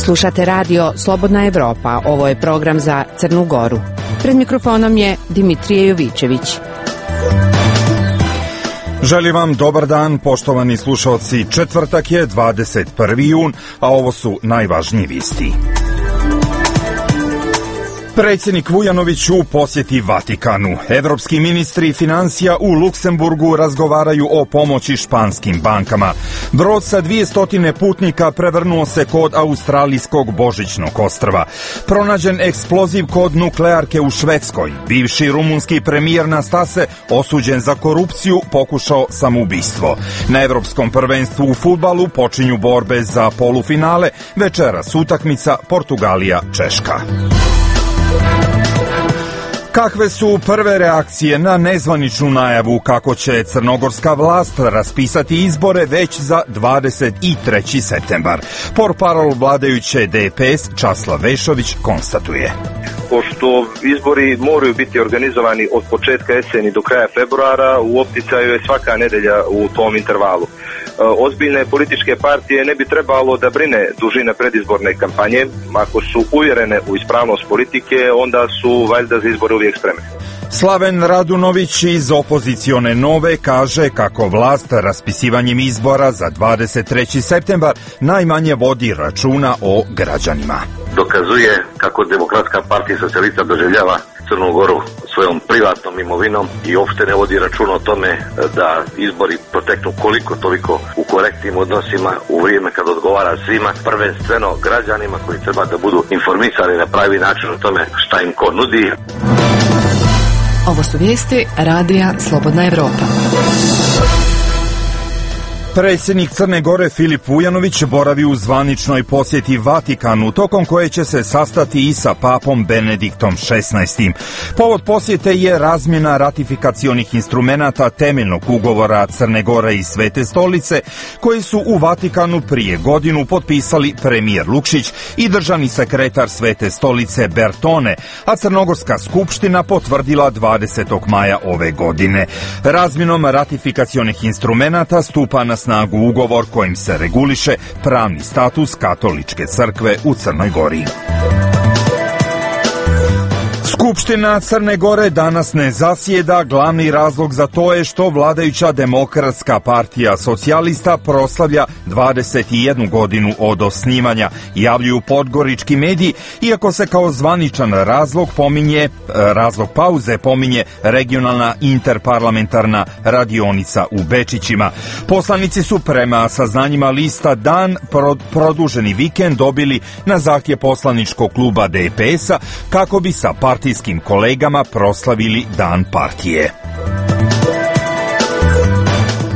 Slušate radio Slobodna Evropa. Ovo je program za Crnu Goru. Pred mikrofonom je Dimitrije Jovićević. Želim vam dobar dan, poštovani slušalci. Četvrtak je 21. jun, a ovo su najvažniji vesti. Predsjednik Vujanović u posjeti Vatikanu. Evropski ministri financija u Luksemburgu razgovaraju o pomoći španskim bankama. Brod sa 200 putnika prevrnuo se kod australijskog Božićnog ostrva. Pronađen eksploziv kod nuklearke u Švedskoj. Bivši rumunski premijer Nastase, osuđen za korupciju, pokušao samoubistvo. Na Evropskom prvenstvu u fudbalu počinju borbe za polufinale. Večeras utakmica Portugalija-Češka. Kakve su prve reakcije na nezvaničnu najavu kako će crnogorska vlast raspisati izbore već za 23. septembar? Portparol vladajuće DPS Časlav Vešović konstatuje. Pošto izbori moraju biti organizovani od početka jeseni do kraja februara, u opticaju je svaka nedelja u tom intervalu. Ozbiljne političke partije ne bi trebalo da brine dužina predizborne kampanje. Ako su uvjerene u ispravnost politike, onda su valjda za izbore uvijek spremne. Slaven Radunović iz opozicione Nove kaže kako vlast raspisivanjem izbora za 23. septembar najmanje vodi računa o građanima. Dokazuje kako Demokratska partija socijalista doživljava Crnu Goru svojom privatnom imovinom i uopšte ne vodi računa o tome da izbori proteknu koliko toliko u korektnim odnosima u vrijeme kad odgovara svima, prvenstveno građanima koji treba da budu informisani na pravi način o tome šta im ko nudi. Ovo su vijesti radija Slobodna Evropa. Predsjednik Crne Gore Filip Vujanović boravi u zvaničnoj posjeti Vatikanu, tokom koje će se sastati i sa papom Benediktom XVI. Povod posjete je razmjena ratifikacionih instrumenata temeljnog ugovora Crne Gore i Svete stolice, koji su u Vatikanu prije godinu potpisali premijer Lukšić i državni sekretar Svete stolice Bertone, a Crnogorska skupština potvrdila 20. maja ove godine. Razmjenom ratifikacionih instrumenata stupa na snagu ugovor kojim se reguliše pravni status katoličke crkve u Crnoj Gori. Skupština Crne Gore danas ne zasjeda. Glavni razlog za to je što vladajuća Demokratska partija socijalista proslavlja 21 godinu od osnivanja, javljuju podgorički mediji, iako se kao zvaničan razlog pauze pominje regionalna interparlamentarna radionica u Bečićima. Poslanici su prema saznanjima lista Dan produženi vikend dobili na zahtjev poslaničkog kluba DPS-a kako bi sa partijskim kolegama proslavili Dan partije.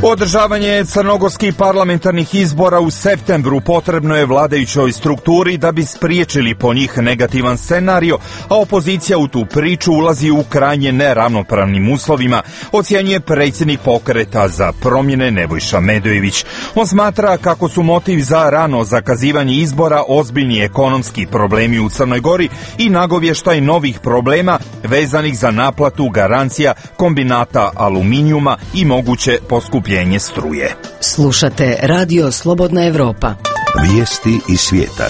Održavanje crnogorskih parlamentarnih izbora u septembru potrebno je vladajućoj strukturi da bi spriječili po njih negativan scenario, a opozicija u tu priču ulazi u krajnje neravnopravnim uslovima, ocjenjuje predsjednik Pokreta za promjene Nebojša Medojević. On smatra kako su motiv za rano zakazivanje izbora ozbiljni ekonomski problemi u Crnoj Gori i nagovještaj novih problema vezanih za naplatu garancija kombinata aluminijuma i moguće poskupljenje struje. Slušate radio Slobodna Evropa. Vijesti iz svijeta.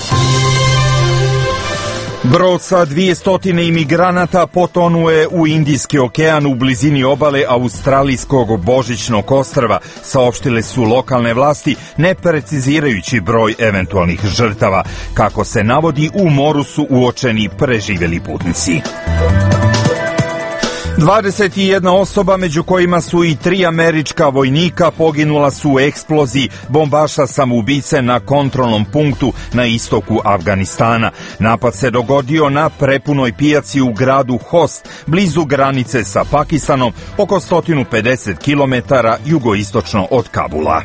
Brod sa 200 imigranata potonuje u Indijski okean u blizini obale australijskog Božićnog ostrva, saopštile su lokalne vlasti, ne precizirajući broj eventualnih žrtava. Kako se navodi, u moru su uočeni preživjeli putnici. 21 osoba, među kojima su i 3 američka vojnika, poginula su u eksploziji bombaša samoubice na kontrolnom punktu na istoku Afganistana. Napad se dogodio na prepunoj pijaci u gradu Host, blizu granice sa Pakistanom, oko 150 km jugoistočno od Kabula.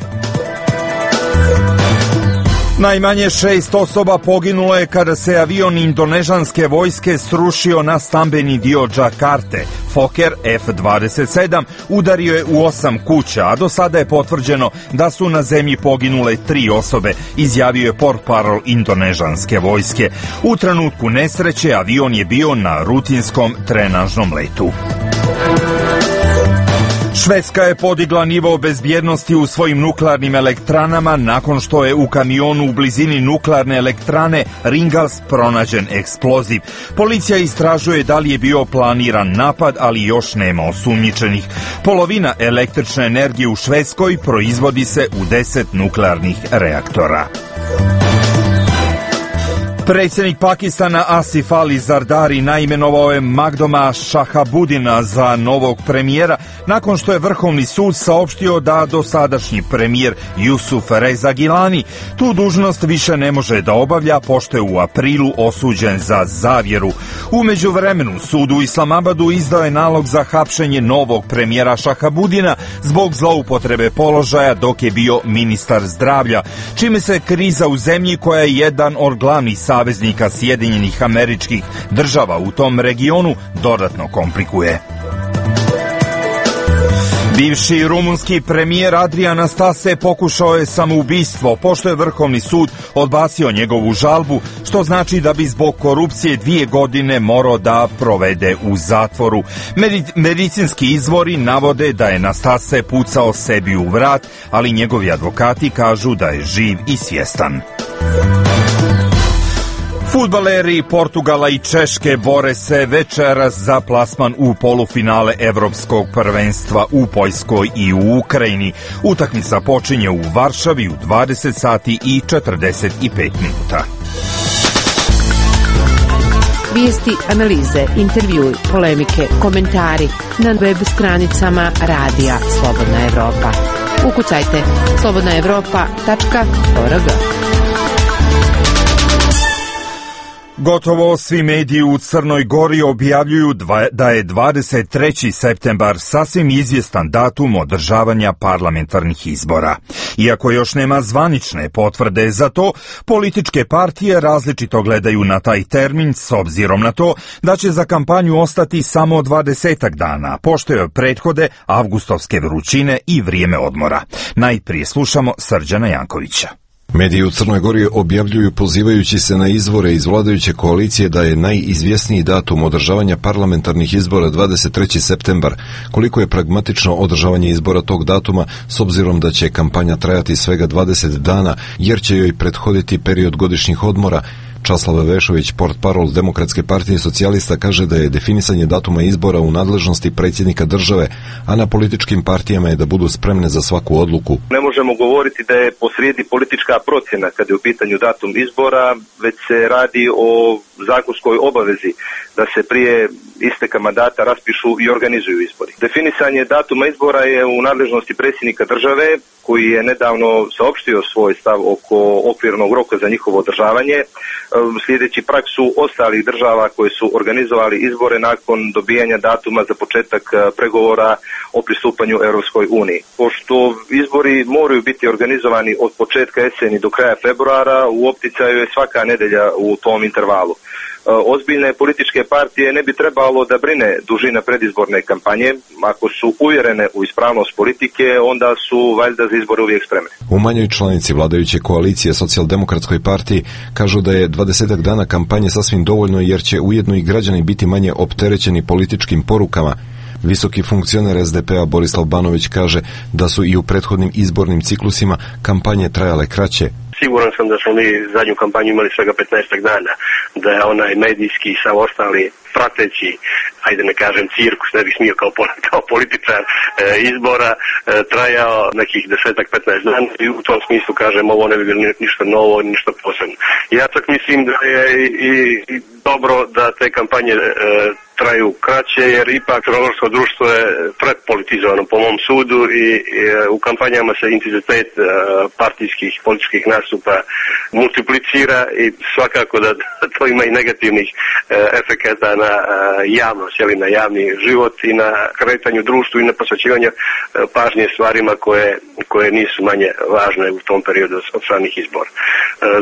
Najmanje 6 osoba poginulo je kada se avion indonežanske vojske srušio na stambeni dio Džakarte. Fokker F-27 udario je u 8 kuća, a do sada je potvrđeno da su na zemlji poginule 3 osobe, izjavio je portparol indonežanske vojske. U trenutku nesreće avion je bio na rutinskom trenažnom letu. Švedska je podigla nivo bezbjednosti u svojim nuklearnim elektranama nakon što je u kamionu u blizini nuklearne elektrane Ringhals pronađen eksploziv. Policija istražuje da li je bio planiran napad, ali još nema osumnjičenih. Polovina električne energije u Švedskoj proizvodi se u 10 nuklearnih reaktora. Predsjednik Pakistana Asif Ali Zardari naimenovao je Magdoma Shahabudina za novog premijera nakon što je Vrhovni sud saopštio da dosadašnji premijer Yusuf Reza Gilani tu dužnost više ne može da obavlja pošto je u aprilu osuđen za zavjeru. U međuvremenu sud u Islamabadu izdao je nalog za hapšenje novog premijera Shahabudina zbog zloupotrebe položaja dok je bio ministar zdravlja, čime se kriza u zemlji koja je jedan od glavnih saveznika Sjedinjenih Američkih Država u tom regionu dodatno komplikuje. Bivši rumunski premijer Adrian Nastase pokušao je samoubistvo pošto je Vrhovni sud odbacio njegovu žalbu, što znači da bi zbog korupcije 2 godine morao da provede u zatvoru. Medicinski izvori navode da je Nastase pucao sebi u vrat, ali njegovi advokati kažu da je živ i svjestan. Fudbaleri Portugala i Češke bore se večeras za plasman u polufinale Evropskog prvenstva u Poljskoj i u Ukrajini. Utakmica počinje u Varšavi u 20 sati i 45 minuta. Vijesti, analize, intervjui, polemike, komentari na web stranicama Radija Slobodna Evropa. Ukucajte slobodnaevropa.org. Gotovo svi mediji u Crnoj Gori objavljuju da je 23. septembar sasvim izvjestan datum održavanja parlamentarnih izbora. Iako još nema zvanične potvrde za to, političke partije različito gledaju na taj termin s obzirom na to da će za kampanju ostati samo 20 dana, pošto je prethode avgustovske vrućine i vrijeme odmora. Najprije slušamo Srđana Jankovića. Mediji u Crnoj Gori objavljuju pozivajući se na izvore iz vladajuće koalicije da je najizvjesniji datum održavanja parlamentarnih izbora 23. septembar. Koliko je pragmatično održavanje izbora tog datuma s obzirom da će kampanja trajati svega 20 dana jer će joj prethoditi period godišnjih odmora. Časlav Vešović, portparol Demokratske partije socijalista, kaže da je definisanje datuma izbora u nadležnosti predsjednika države, a na političkim partijama je da budu spremne za svaku odluku. Ne možemo govoriti da je posrijedi politička procjena kad je u pitanju datum izbora, već se radi o zakonskoj obavezi da se prije isteka mandata raspišu i organizuju izbori. Definisanje datuma izbora je u nadležnosti predsjednika države, koji je nedavno saopštio svoj stav oko okvirnog roka za njihovo održavanje, slijedeći praksu ostalih država koje su organizovali izbore nakon dobijanja datuma za početak pregovora o pristupanju Europskoj uniji. Pošto izbori moraju biti organizovani od početka jeseni do kraja februara, u opticaju je svaka nedelja u tom intervalu. Ozbiljne političke partije ne bi trebalo da brine dužina predizborne kampanje. Ako su uvjerene u ispravnost politike, onda su valjda za izbore uvijek spremne. U manjoj članici vladajuće koalicije Socijaldemokratskoj partiji kažu da je 20 dana kampanje sasvim dovoljno jer će ujedno i građani biti manje opterećeni političkim porukama. Visoki funkcioner SDP-a Borislav Banović kaže da su i u prethodnim izbornim ciklusima kampanje trajale kraće. Siguran sam da smo mi zadnju kampanju imali svega 15 dana, da je onaj medijski i sav ostali prateći, ajde ne kažem cirkus, ne bih smio kao političar izbora, trajao nekih 10-15 dana i u tom smislu kažem ovo ne bi bilo ništa novo, ništa posebno. Ja čak mislim da je i dobro da te kampanje traju kraće, jer ipak crnogorsko društvo je prepolitizovano po mom sudu i u kampanjama se intenzitet partijskih političkih nastupa multiplicira i svakako da to ima i negativnih efekata na javnost, na javni život i na kretanju društvu i na posvećivanju pažnje stvarima koje nisu manje važne u tom periodu od samih izbora.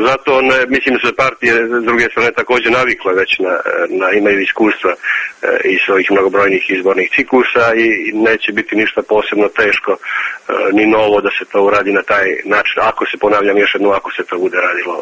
Zato mislim da se partije s druge strane također navikle već imaju iskustva i svojih mnogobrojnih izbornih ciklusa i neće biti ništa posebno teško ni novo da se to uradi na taj način. Ako se, ponavljam još jednom, ako se to bude radilo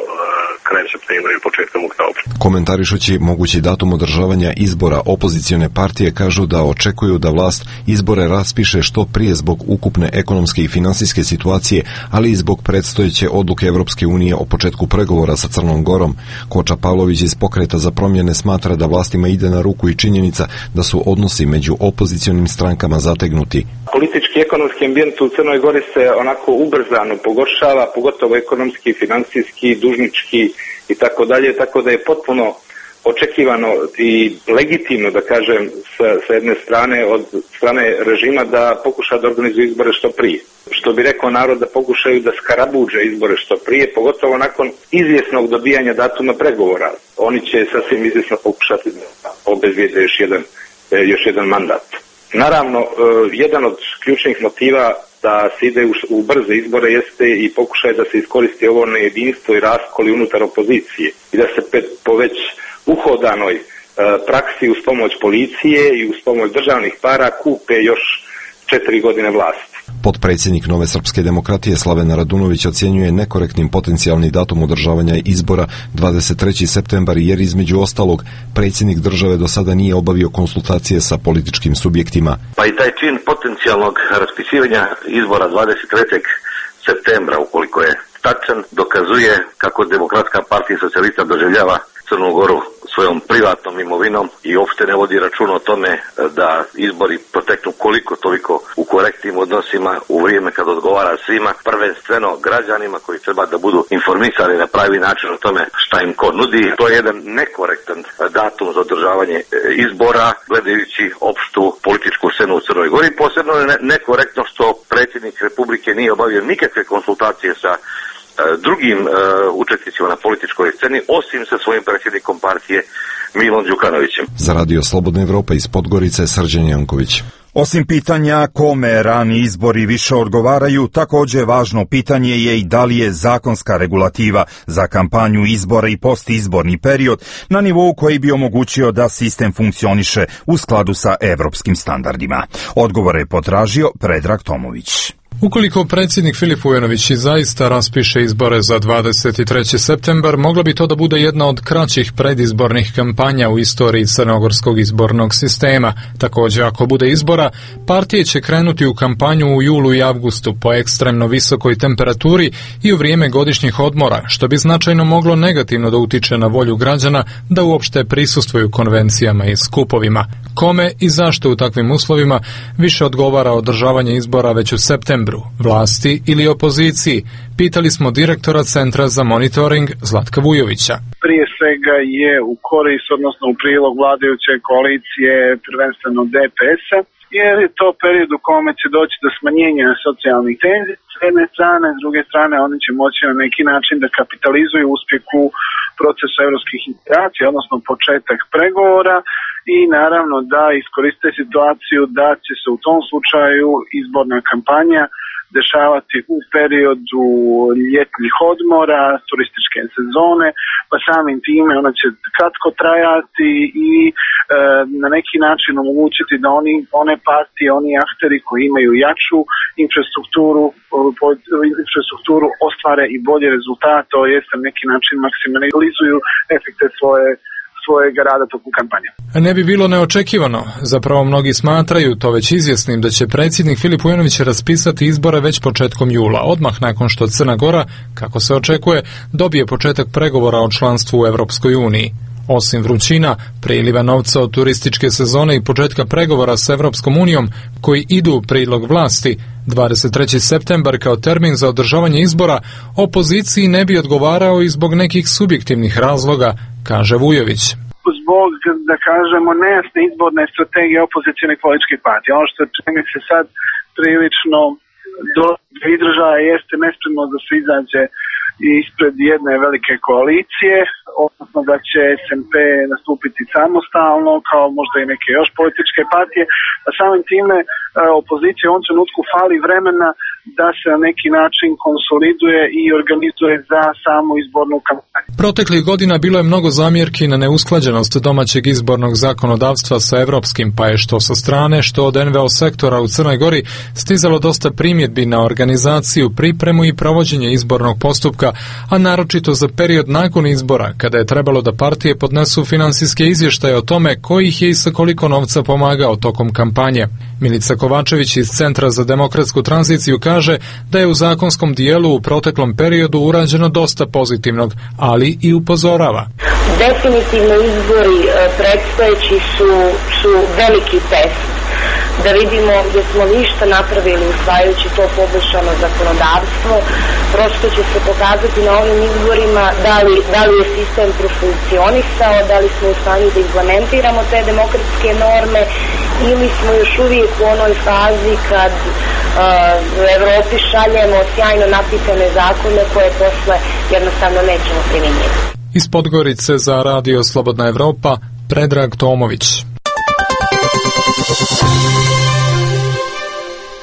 krajem septembra ili početkom oktobra. Komentarišući mogući datum održavanja izbora, opozicioni opozicijone partije kažu da očekuju da vlast izbore raspiše što prije zbog ukupne ekonomske i finansijske situacije, ali i zbog predstojeće odluke Evropske unije o početku pregovora sa Crnom Gorom. Koča Pavlović iz Pokreta za promjene smatra da vlastima ide na ruku i činjenica da su odnosi među opozicionim strankama zategnuti. Politički i ekonomski ambijent u Crnoj Gori se onako ubrzano pogoršava, pogotovo ekonomski, financijski, dužnički i tako dalje, tako da je potpuno očekivano i legitimno, da kažem, sa jedne strane, od strane režima da pokuša da organizuje izbore što prije. Što bi rekao narod, da pokušaju da skarabuđe izbore što prije, pogotovo nakon izvjesnog dobijanja datuma pregovora. Oni će sasvim izvjesno pokušati da obezbijede još jedan mandat. Naravno, jedan od ključnih motiva da se ide u brze izbore jeste i pokušaj da se iskoristi ovo nejedinstvo i raskoli unutar opozicije i da se po već uhodanoj praksi uz pomoć policije i uz pomoć državnih para kupe još 4 godine vlasti. Potpredsjednik Nove srpske demokratije Slaven Radunović ocjenjuje nekorektnim potencijalni datum održavanja izbora 23. septembar jer između ostalog predsjednik države do sada nije obavio konsultacije sa političkim subjektima. Pa i taj čin potencijalnog raspisivanja izbora 23. septembra, ukoliko je tačan, dokazuje kako Demokratska partija socijalista doživljava Crnu Goru svojom privatnom imovinom i uopšte ne vodi računa o tome da izbori proteknu koliko toliko u korektnim odnosima u vrijeme kad odgovara svima, prvenstveno građanima koji treba da budu informisani na pravi način o tome šta im ko nudi. To je jedan nekorektan datum za održavanje izbora, gledajući opštu političku scenu u Crnoj Gori. Posebno je nekorektno što predsjednik Republike nije obavio nikakve konsultacije sa drugim učesnicima na političkoj sceni, osim sa svojim predsjednikom partije Milom Đukanovićem. Za Radio Slobodna Evropa iz Podgorice, Srđan Janković. Osim pitanja kome rani izbori više odgovaraju, također važno pitanje je i da li je zakonska regulativa za kampanju izbora i postizborni period na nivou koji bi omogućio da sistem funkcioniše u skladu sa evropskim standardima. Odgovore je potražio Predrag Tomović. Ukoliko predsjednik Filip Vujanović i zaista raspiše izbore za 23. septembar, mogla bi to da bude jedna od kraćih predizbornih kampanja u istoriji crnogorskog izbornog sistema. Također, ako bude izbora, partije će krenuti u kampanju u julu i avgustu po ekstremno visokoj temperaturi i u vrijeme godišnjih odmora, što bi značajno moglo negativno da utiče na volju građana da uopšte prisustvuju konvencijama i skupovima. Kome i zašto u takvim uslovima više odgovara održavanje izbora već u septembru, vlasti ili opoziciji? Pitali smo direktora Centra za monitoring Zlatka Vujovića. Prije svega je u korist, odnosno u prilog vladajuće koalicije, prvenstveno DPS-a, jer je to period u kome će doći do smanjenja socijalnih tenzija s jedne strane, s druge strane oni će moći na neki način da kapitalizuju uspjeh u procesu europskih integracija, odnosno početak pregovora i naravno da iskoriste situaciju da će se u tom slučaju izborna kampanja dešavati u periodu ljetnih odmora, turističke sezone, pa samim time ona će kratko trajati i na neki način omogućiti da one partije, oni akteri koji imaju jaču infrastrukturu ostvare i bolje rezultate, to jest na neki način maksimalizuju efekte svojeg rada tokom kampanje. Ne bi bilo neočekivano. Zapravo mnogi smatraju to već izvjesnim da će predsjednik Filip Vujanović raspisati izbore već početkom jula, odmah nakon što Crna Gora, kako se očekuje, dobije početak pregovora o članstvu u Evropskoj uniji. Osim vrućina, priliva novca od turističke sezone i početka pregovora s Evropskom unijom koji idu u prilog vlasti, 23. septembar kao termin za održavanje izbora opoziciji ne bi odgovarao i zbog nekih subjektivnih razloga, kaže Vujović. Zbog, da kažemo, nejasne izborne strategije opozicionih političkih partija. Ono što čini se sad prilično do izražaja jeste nespremno da se izađe ispred jedne velike koalicije, odnosno da će SMP nastupiti samostalno, kao možda i neke još političke partije, a samim time opozicija u ovom trenutku fali vremena da se na neki način konsoliduje i organizuje za samu izbornu kampanju. Proteklih godina bilo je mnogo zamjerki na neusklađenost domaćeg izbornog zakonodavstva sa evropskim, pa je što sa strane, što od NVO sektora u Crnoj Gori stizalo dosta primjedbi na organizaciju, pripremu i provođenje izbornog postupka, a naročito za period nakon izbora, kada je trebalo da partije podnesu finansijske izvještaje o tome koji ih je i sa koliko novca pomagao tokom kampanje. Milica Kovačević iz Centra za demokratsku tranziciju kaže da je u zakonskom dijelu u proteklom periodu urađeno dosta pozitivnog, ali i upozorava. Definitivno izbori predstojeći su veliki test. Da vidimo gdje smo ništa napravili usvajajući to poboljšano zakonodavstvo. Prosto će se pokazati na ovim izborima da li je sistem profunkcionisao, da li smo u stanju da implementiramo te demokratske norme ili smo još uvijek u onoj fazi kad u Evropi šaljemo sjajno napisane zakone koje posle jednostavno nećemo primjenjivati. Iz Podgorice za Radio Slobodna Evropa, Predrag Tomović.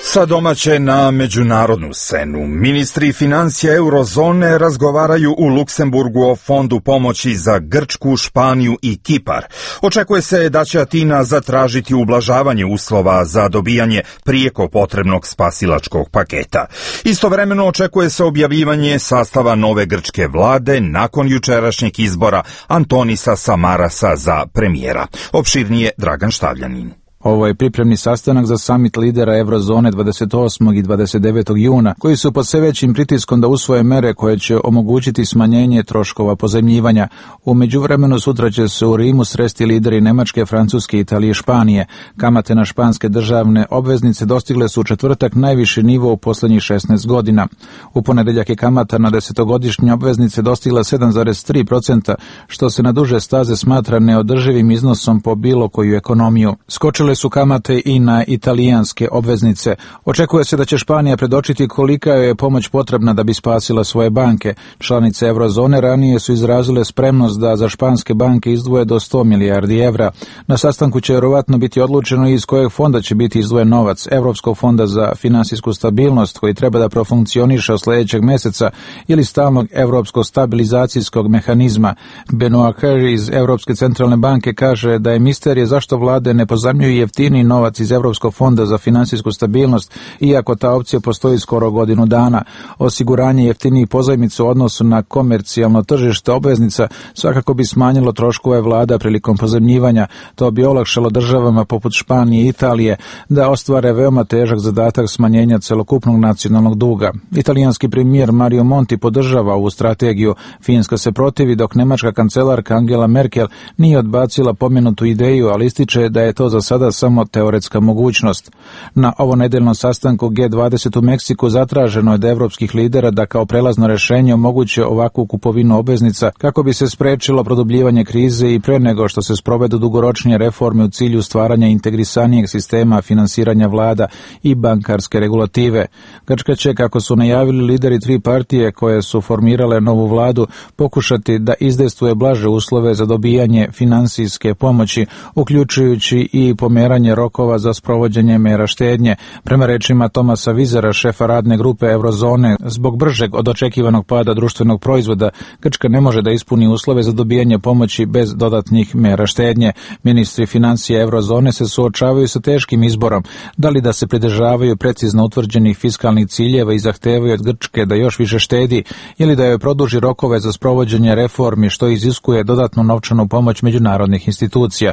Sa domaće na međunarodnu scenu. Ministri financija eurozone razgovaraju u Luksemburgu o fondu pomoći za Grčku, Španiju i Kipar. Očekuje se da će Atina zatražiti ublažavanje uslova za dobijanje prijeko potrebnog spasilačkog paketa. Istovremeno očekuje se objavljivanje sastava nove grčke vlade nakon jučerašnjeg izbora Antonisa Samarasa za premijera. Opširnije Dragan Štavljanin. Ovo je pripremni sastanak za samit lidera Eurozone 28. i 29. juna, koji su pod sve većim pritiskom da usvoje mere koje će omogućiti smanjenje troškova pozajmljivanja. U međuvremenu sutra će se u Rimu sresti lideri Nemačke, Francuske, Italije i Španije. Kamate na španske državne obveznice dostigle su u četvrtak najviši nivo u posljednjih 16 godina. U ponedeljak je kamata na 10-godišnje obveznice dostigla 7,3%, što se na duže staze smatra neodrživim iznosom po bilo koju ekonomiju. Skočile su kamate i na italijanske obveznice. Očekuje se da će Španija predočiti kolika joj je pomoć potrebna da bi spasila svoje banke. Članice Eurozone ranije su izrazile spremnost da za španske banke izdvoje do 100 milijardi evra. Na sastanku će vjerovatno biti odlučeno iz kojeg fonda će biti izdvojen novac, Europskog fonda za finansijsku stabilnost koji treba da profunkcioniše od sljedećeg mjeseca ili stalnog Europskog stabilizacijskog mehanizma. Benoit Cœur iz Europske centralne banke kaže da je misterije zašto vlade ne pozajmljuju jeftini novac iz Europskog fonda za finansijsku stabilnost, iako ta opcija postoji skoro godinu dana. Osiguranje jeftinijih pozajmica u odnosu na komercijalno tržište obveznica svakako bi smanjilo troškove vlada prilikom pozajmljivanja. To bi olakšalo državama poput Španije i Italije da ostvare veoma težak zadatak smanjenja celokupnog nacionalnog duga. Italijanski premijer Mario Monti podržava ovu strategiju. Finska se protivi, dok nemačka kancelarka Angela Merkel nije odbacila pomenutu ideju, ali ističe da je to za sada samo teoretska mogućnost. Na ovonedeljnom sastanku G20 u Meksiku zatraženo je od evropskih lidera da kao prelazno rješenje omoguće ovakvu kupovinu obveznica kako bi se sprečilo produbljivanje krize i pre nego što se sprovedu dugoročnije reforme u cilju stvaranja integrisanijeg sistema finansiranja vlada i bankarske regulative. Grčka će, kako su najavili lideri tri partije koje su formirale novu vladu, pokušati da izdejstvuje blaže uslove za dobijanje finansijske pomoći, uključujući i pomeranje rokova za sprovođenje mera štednje. Prema rečima Tomasa Vizera, šefa radne grupe Eurozone, zbog bržeg od očekivanog pada društvenog proizvoda, Grčka ne može da ispuni uslove za dobijanje pomoći bez dodatnih mera štednje. Ministri financija Eurozone se suočavaju sa teškim izborom, da li da se pridržavaju precizno utvrđenih fiskalnih ciljeva i zahtevaju od Grčke da još više štedi, ili da joj produži rokove za sprovođenje reformi, što iziskuje dodatnu novčanu pomoć međunarodnih institucija.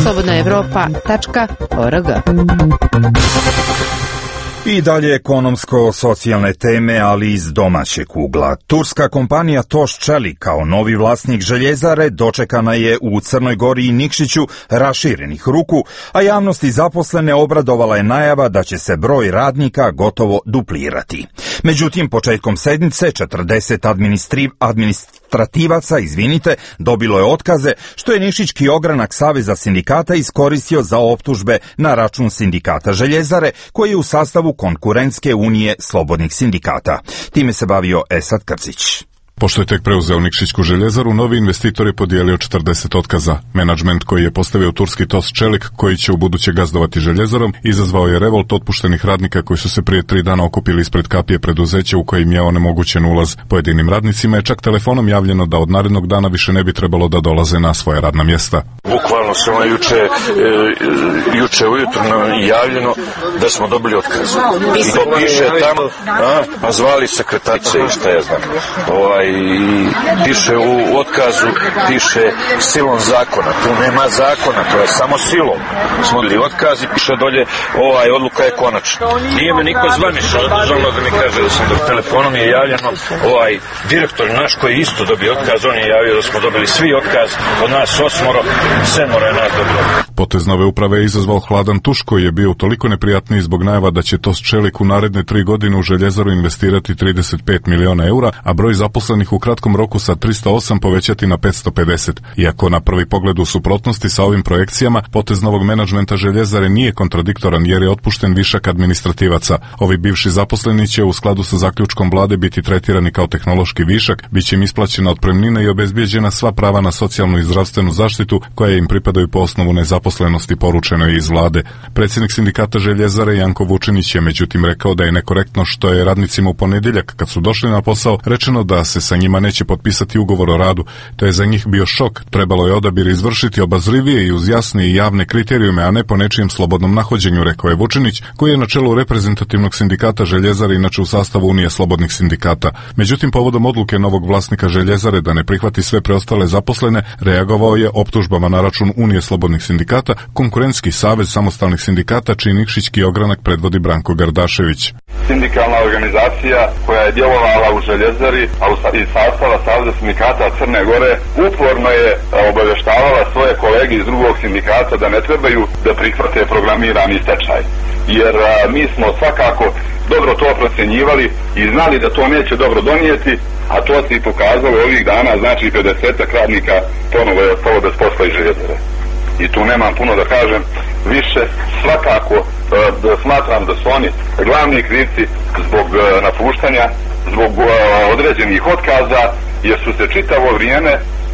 slobodnaevropa.org. I dalje ekonomsko-socijalne teme, ali iz domaćeg ugla. Turska kompanija Toš Čelik kao novi vlasnik željezare dočekana je u Crnoj Gori i Nikšiću raširenih ruku, a javnost i zaposlene obradovala je najava da će se broj radnika gotovo duplirati. Međutim, početkom sedmice 40 administrativaca, dobilo je otkaze, što je Nikšićki ogranak Saveza sindikata iskoristio za optužbe na račun sindikata željezare, koji je u sastavu Konkurentske unije slobodnih sindikata. Time se bavio Esad Krcić. Pošto je tek preuzeo Nikšićku željezaru, novi investitor je podijelio 40 otkaza. Menadžment koji je postavio turski TOS Čelik, koji će u buduće gazdovati željezarom, izazvao je revolt otpuštenih radnika koji su se prije 3 dana okupili ispred kapije preduzeća u kojim je onemogućen ulaz. Pojedinim radnicima je čak telefonom javljeno da od narednog dana više ne bi trebalo da dolaze na svoja radna mjesta. Bukvalno se juče ujutro javljeno da smo dobili otkaz. I to piše tamo, a zvali sekretarice i šta ja znam. I piše u otkazu, piše silom zakona. Tu nema zakona, to je samo silom. Smo dobili otkaz i piše dolje odluka je konačna. Nije me niko zvanično državno da mi kaže da sam dobio. Telefonom je javljeno direktor naš koji isto dobio otkaz, on je javio da smo dobili svi otkaz, od nas 8, 7 je nas dobilo. Potez nove uprave je izazvao hladan tuš koji je bio toliko neprijatniji zbog najava da će TOS Čelik u naredne 3 godine u željezaru investirati 35 miliona eura, a broj zaposlenih u kratkom roku sa 308 povećati na 550. Iako na prvi pogled u suprotnosti sa ovim projekcijama, potez novog menadžmenta željezare nije kontradiktoran jer je otpušten višak administrativaca. Ovi bivši zaposleni će u skladu sa zaključkom vlade biti tretirani kao tehnološki višak, bit će im isplaćena otpremnina i obezbijeđena sva prava na socijalnu i zdravstvenu zaštitu koja im pripadaju po osnovu nezaposlenosti, poručeno je iz vlade. Predsjednik sindikata željezare Janko Vučinić je međutim rekao da je nekorektno što je radnicima u ponedjeljak kad su došli na posao rečeno da se sa njima neće potpisati ugovor o radu. To je za njih bio šok. Trebalo je odabir izvršiti obazrivije i uz jasne i javne kriterijume, a ne po nečijem slobodnom nahođenju, rekao je Vučinić, koji je na čelu reprezentativnog sindikata željezare, inače u sastavu Unije slobodnih sindikata. Međutim, povodom odluke novog vlasnika željezare da ne prihvati sve preostale zaposlene, reagovao je optužbama na račun Unije slobodnih sindikata, Konkurentski savez samostalnih sindikata, čiji nikšićki ogranak predvodi Branko Gardašević. Sindikalna organizacija koja je djelovala u željezari, a iz sastava Saveza sindikata Crne Gore, uporno je obavještavala svoje kolege iz drugog sindikata da ne trebaju da prihvate programirani stečaj. Jer mi smo svakako dobro to procjenjivali i znali da to neće dobro donijeti, a to se i pokazalo ovih dana, znači 50 radnika ponovo je ostalo bez posla iz željezare. I tu nemam puno da kažem više, svakako da smatram da su oni glavni krivci zbog napuštanja, zbog određenih otkaza, jer su se čitavo vrijeme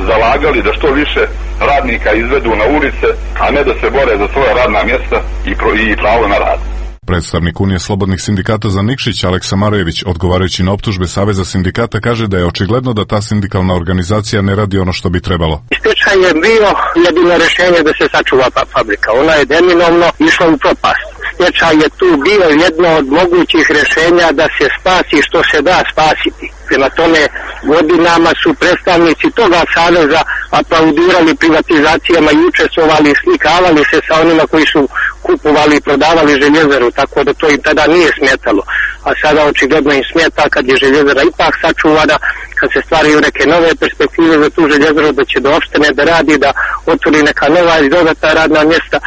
zalagali da što više radnika izvedu na ulice, a ne da se bore za svoja radna mjesta i pravo na rad. Predstavnik Unije slobodnih sindikata za Nikšić, Aleksa Marejević, odgovarajući na optužbe Saveza sindikata, kaže da je očigledno da ta sindikalna organizacija ne radi ono što bi trebalo. Stečaj je bio jedino rješenje da se sačuva fabrika. Ona je neminovno išla u propast. Stečaj je tu bio jedno od mogućih rješenja da se spasi što se da spasiti. Prema tome, godinama su predstavnici toga saveza aplaudirali privatizacijama i učestvovali i slikavali se sa onima koji su kupovali i prodavali željezaru, tako da to im tada nije smetalo. A sada očigledno im smeta kad je željezara ipak sačuvana, kad se stvaraju neke nove perspektive za tu željezaru, da će do opštine da radi, da otvori neka nova i dodatna radna mjesta,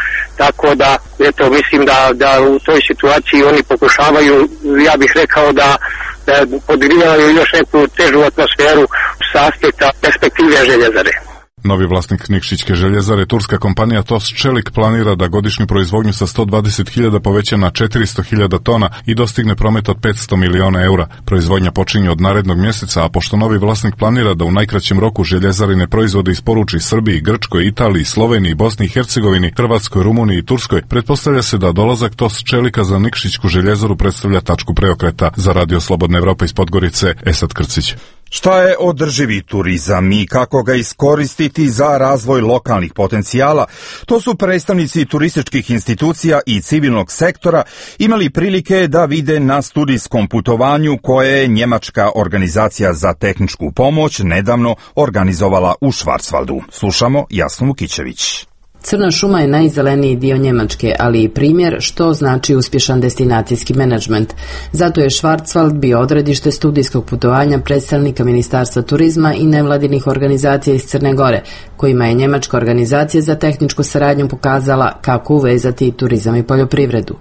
tako da eto, mislim da u toj situaciji oni pokušavaju, ja bih rekao da podgrivaju još neku težu atmosferu sa aspekta perspektive željezare. Novi vlasnik Nikšićke željezare, turska kompanija TOS Čelik, planira da godišnju proizvodnju sa 120.000 poveća na 400.000 tona i dostigne promet od 500 miliona eura. Proizvodnja počinje od narednog mjeseca, a pošto novi vlasnik planira da u najkraćem roku željezarine proizvode isporuči Srbiji, Grčkoj, Italiji, Sloveniji, Bosni i Hercegovini, Hrvatskoj, Rumuniji i Turskoj, pretpostavlja se da dolazak TOS Čelika za Nikšićku željezaru predstavlja tačku preokreta. Za Radio Slobodna Evropa iz Podgorice, Esad Krcić. Šta je održivi turizam i kako ga iskoristiti za razvoj lokalnih potencijala? To su predstavnici turističkih institucija i civilnog sektora imali prilike da vide na studijskom putovanju koje je Njemačka organizacija za tehničku pomoć nedavno organizovala u Švarcvaldu. Slušamo Jasnu Vukićević. Crna šuma je najzeleniji dio Njemačke, ali i primjer što znači uspješan destinacijski menadžment. Zato je Švarcvald bio odredište studijskog putovanja predstavnika Ministarstva turizma i nevladinih organizacija iz Crne Gore, kojima je Njemačka organizacija za tehničku saradnju pokazala kako uvezati turizam i poljoprivredu.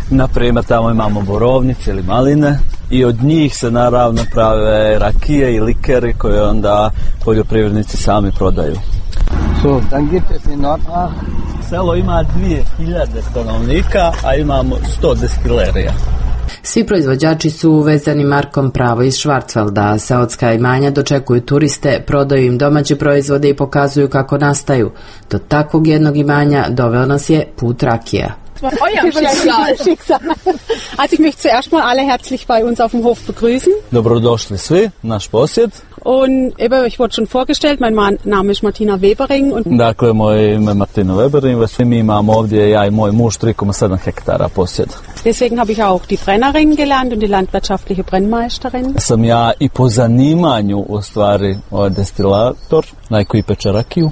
Na primjer, tamo imamo borovnice ili maline i od njih se naravno prave rakije i likeri koje onda poljoprivrednici sami prodaju. Dann gibt es in Nordach. Selo ima 2000 stanovnika, a imamo 100 destilerija. Svi proizvođači su vezani markom Pravo iz Schwarzwalda, a seoska imanja dočekuju turiste, prodaju im domaće proizvode i pokazuju kako nastaju. Do takvog jednog imanja doveo nas je put rakija. Schicksal. Also ich möchte zuerst mal alle herzlich bei uns auf dem Hof begrüßen. Dobrodošli svi, naš posjed. Und eben, ich wurde schon vorgestellt, mein Name ist Martina Webering. Dakle, moje ime je Martina Webering, svi mi imamo ovdje, ja i moj muž, 3,7 hektara posjeda. Deswegen habe ich auch die Brennerin gelernt und die landwirtschaftliche Brennmeisterin. Sam ja i po zanimanju u stvari destilator, koji peče rakiju.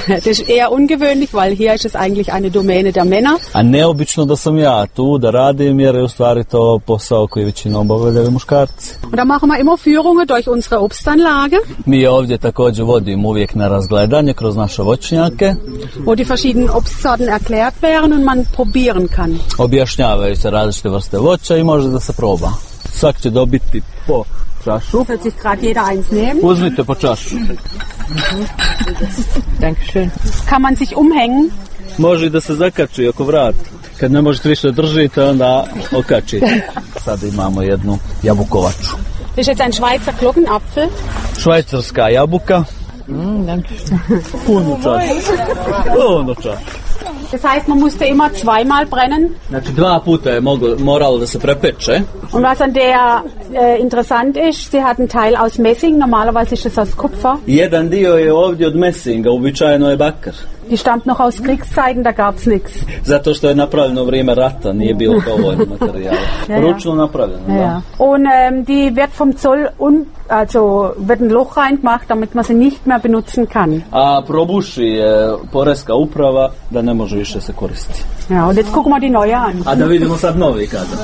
Das ist eher ungewöhnlich, weil hier ist es eigentlich eine Domäne der Männer. A neobično da sam ja tu da radim, jer je u stvari to posao koji većinom obavljaju muškarci. Und da machen wir immer Führungen durch unsere Obstanlage. Mi ovdje također vodimo uvijek na razgledanje kroz naše voćnjake. Wo die verschiedenen Obstsorten erklärt werden und man probieren kann. Objašnjavaju se različite vrste voća i može da se proba. Svak će dobiti po čašu. Wird sich gerade jeder eins nehmen. Uzmite po čašu. Dankeschön. Kann man sich umhängen? Može da se zakači oko vrata. Kad ne možete više držite, onda okačite. Sada imamo jednu jabukovaču. Das ist jetzt ein Schweizer Glockenapfel. Švajcarska jabuka. Puno čašu. Das heißt, man musste immer zweimal brennen. Znači 2 puta je moralo da se prepeče. Und was an der interessant ist, sie hat einen Teil aus Messing, normalerweise ist es aus Kupfer. Jedan dio je ovdje od mesinga, uobičajeno je bakar. Die stammt noch aus Kriegszeiten, da gab's nichts. Zato što je napravljeno u vrijeme rata, nije bilo dovoljno materijala. Ručno napravljeno, da. Und die wird vom Zoll wird ein Loch reingemacht, damit man sie nicht mehr benutzen kann. A probuši je poreska uprava da ne može više se koristiti. Ja, und jetzt gucken wir die neue an. A da vidimo sad novi kazan.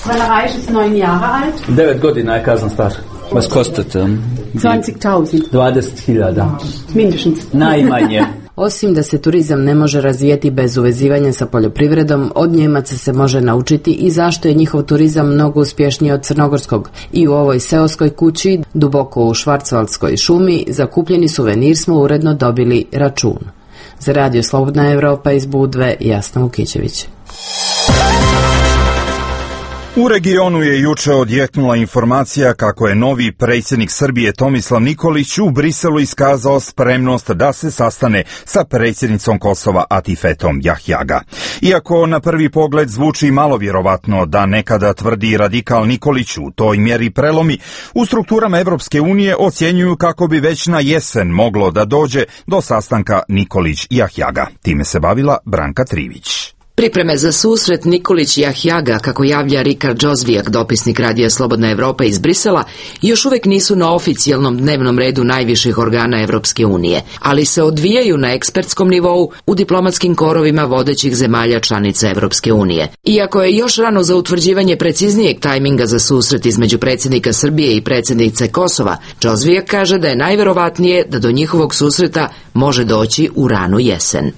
Brennerei ist 9 Jahre alt. 9 godina je kazan star. Was kostet? 20.000. 20.000. Mindestens. Najmanje. Osim da se turizam ne može razvijeti bez uvezivanja sa poljoprivredom, od Njemaca se može naučiti i zašto je njihov turizam mnogo uspješniji od crnogorskog. I u ovoj seoskoj kući, duboko u Švarcvaldskoj šumi, za kupljeni suvenir smo uredno dobili račun. Za Radio Slobodna Evropa iz Budve, Jasna Vukićević. U regionu je juče odjeknula informacija kako je novi predsjednik Srbije Tomislav Nikolić u Briselu iskazao spremnost da se sastane sa predsjednicom Kosova Atifetom Jahjaga. Iako na prvi pogled zvuči malo vjerovatno da nekada tvrdi radikal Nikolić u toj mjeri prelomi, u strukturama Evropske unije ocjenjuju kako bi već na jesen moglo da dođe do sastanka Nikolić-Jahjaga. Time se bavila Branka Trivić. Pripreme za susret Nikolić-Jahjaga, kako javlja Rikard Džozvijak, dopisnik Radija Slobodna Evropa iz Brisela, još uvijek nisu na oficijalnom dnevnom redu najviših organa Evropske unije, ali se odvijaju na ekspertskom nivou u diplomatskim korovima vodećih zemalja članica Evropske unije. Iako je još rano za utvrđivanje preciznijeg tajminga za susret između predsjednika Srbije i predsjednice Kosova, Džozvijak kaže da je najverovatnije da do njihovog susreta može doći u ranu jesen.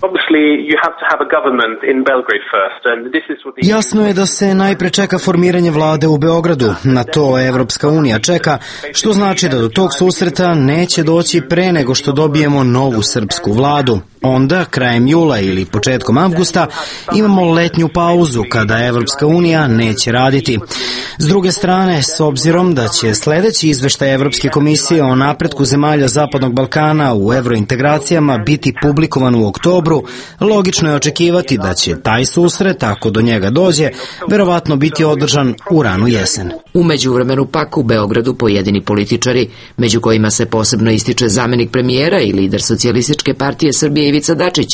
Jasno je da se najpre čeka formiranje vlade u Beogradu. Na to Evropska unija čeka, što znači da do tog susreta neće doći pre nego što dobijemo novu srpsku vladu. Onda, krajem jula ili početkom avgusta, imamo letnju pauzu kada Evropska unija neće raditi. S druge strane, s obzirom da će sljedeći izveštaj Evropske komisije o napretku zemalja Zapadnog Balkana u evrointegracijama biti publikovan u oktobru, logično je očekivati da će taj susret, ako do njega dođe, verovatno biti održan u ranu jesen. U međuvremenu pak u Beogradu pojedini političari, među kojima se posebno ističe zamjenik premijera i lider Socijalističke partije Srbije Ivica Dačić,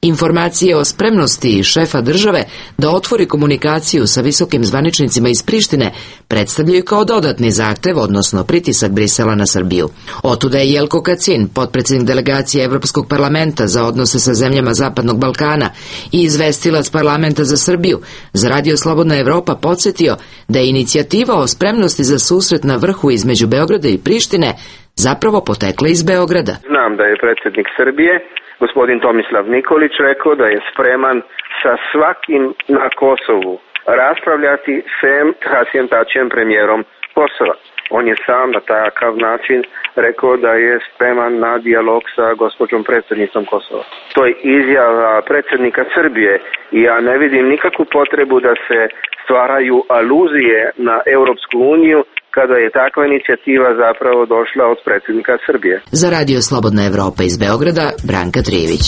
informacije o spremnosti šefa države da otvori komunikaciju sa visokim zvaničnicima iz Prištine predstavljaju kao dodatni zahtev, odnosno pritisak Brisela na Srbiju. Otuda je Jelko Kacin, potpredsjednik delegacije Evropskog parlamenta za odnose sa zemljama Zapadnog Balkana i izvestilac parlamenta za Srbiju, za Radio Slobodna Evropa podsjetio da je inicijativa o spremnosti za susret na vrhu između Beograda i Prištine zapravo potekla iz Beograda. Znam da je predsjednik Srbije, gospodin Tomislav Nikolić, rekao da je spreman sa svakim na Kosovu raspravljati sem Hasijem Tačijem, premijerom Kosova. On je sam na takav način rekao da je spreman na dijalog sa gospođom predsjednicom Kosova. To je izjava predsjednika Srbije i ja ne vidim nikakvu potrebu da se stvaraju aluzije na Europsku uniju kada je takva inicijativa zapravo došla od predsjednika Srbije. Za Radio Slobodna Evropa iz Beograda, Branka Trijević.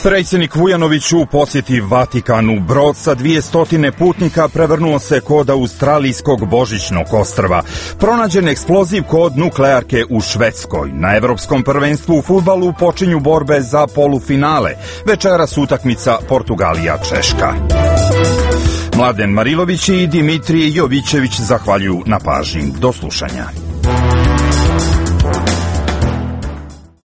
Predsjednik Vujanović u posjeti Vatikanu. Brod sa 200 putnika prevrnuo se kod australijskog Božićnog ostrva. Pronađen eksploziv kod nuklearke u Švedskoj. Na Evropskom prvenstvu u fudbalu počinju borbe za polufinale. Večeras utakmica Portugalija-Češka. Mladen Marilović i Dimitrije Jovićević zahvaljuju na pažnji. Do slušanja.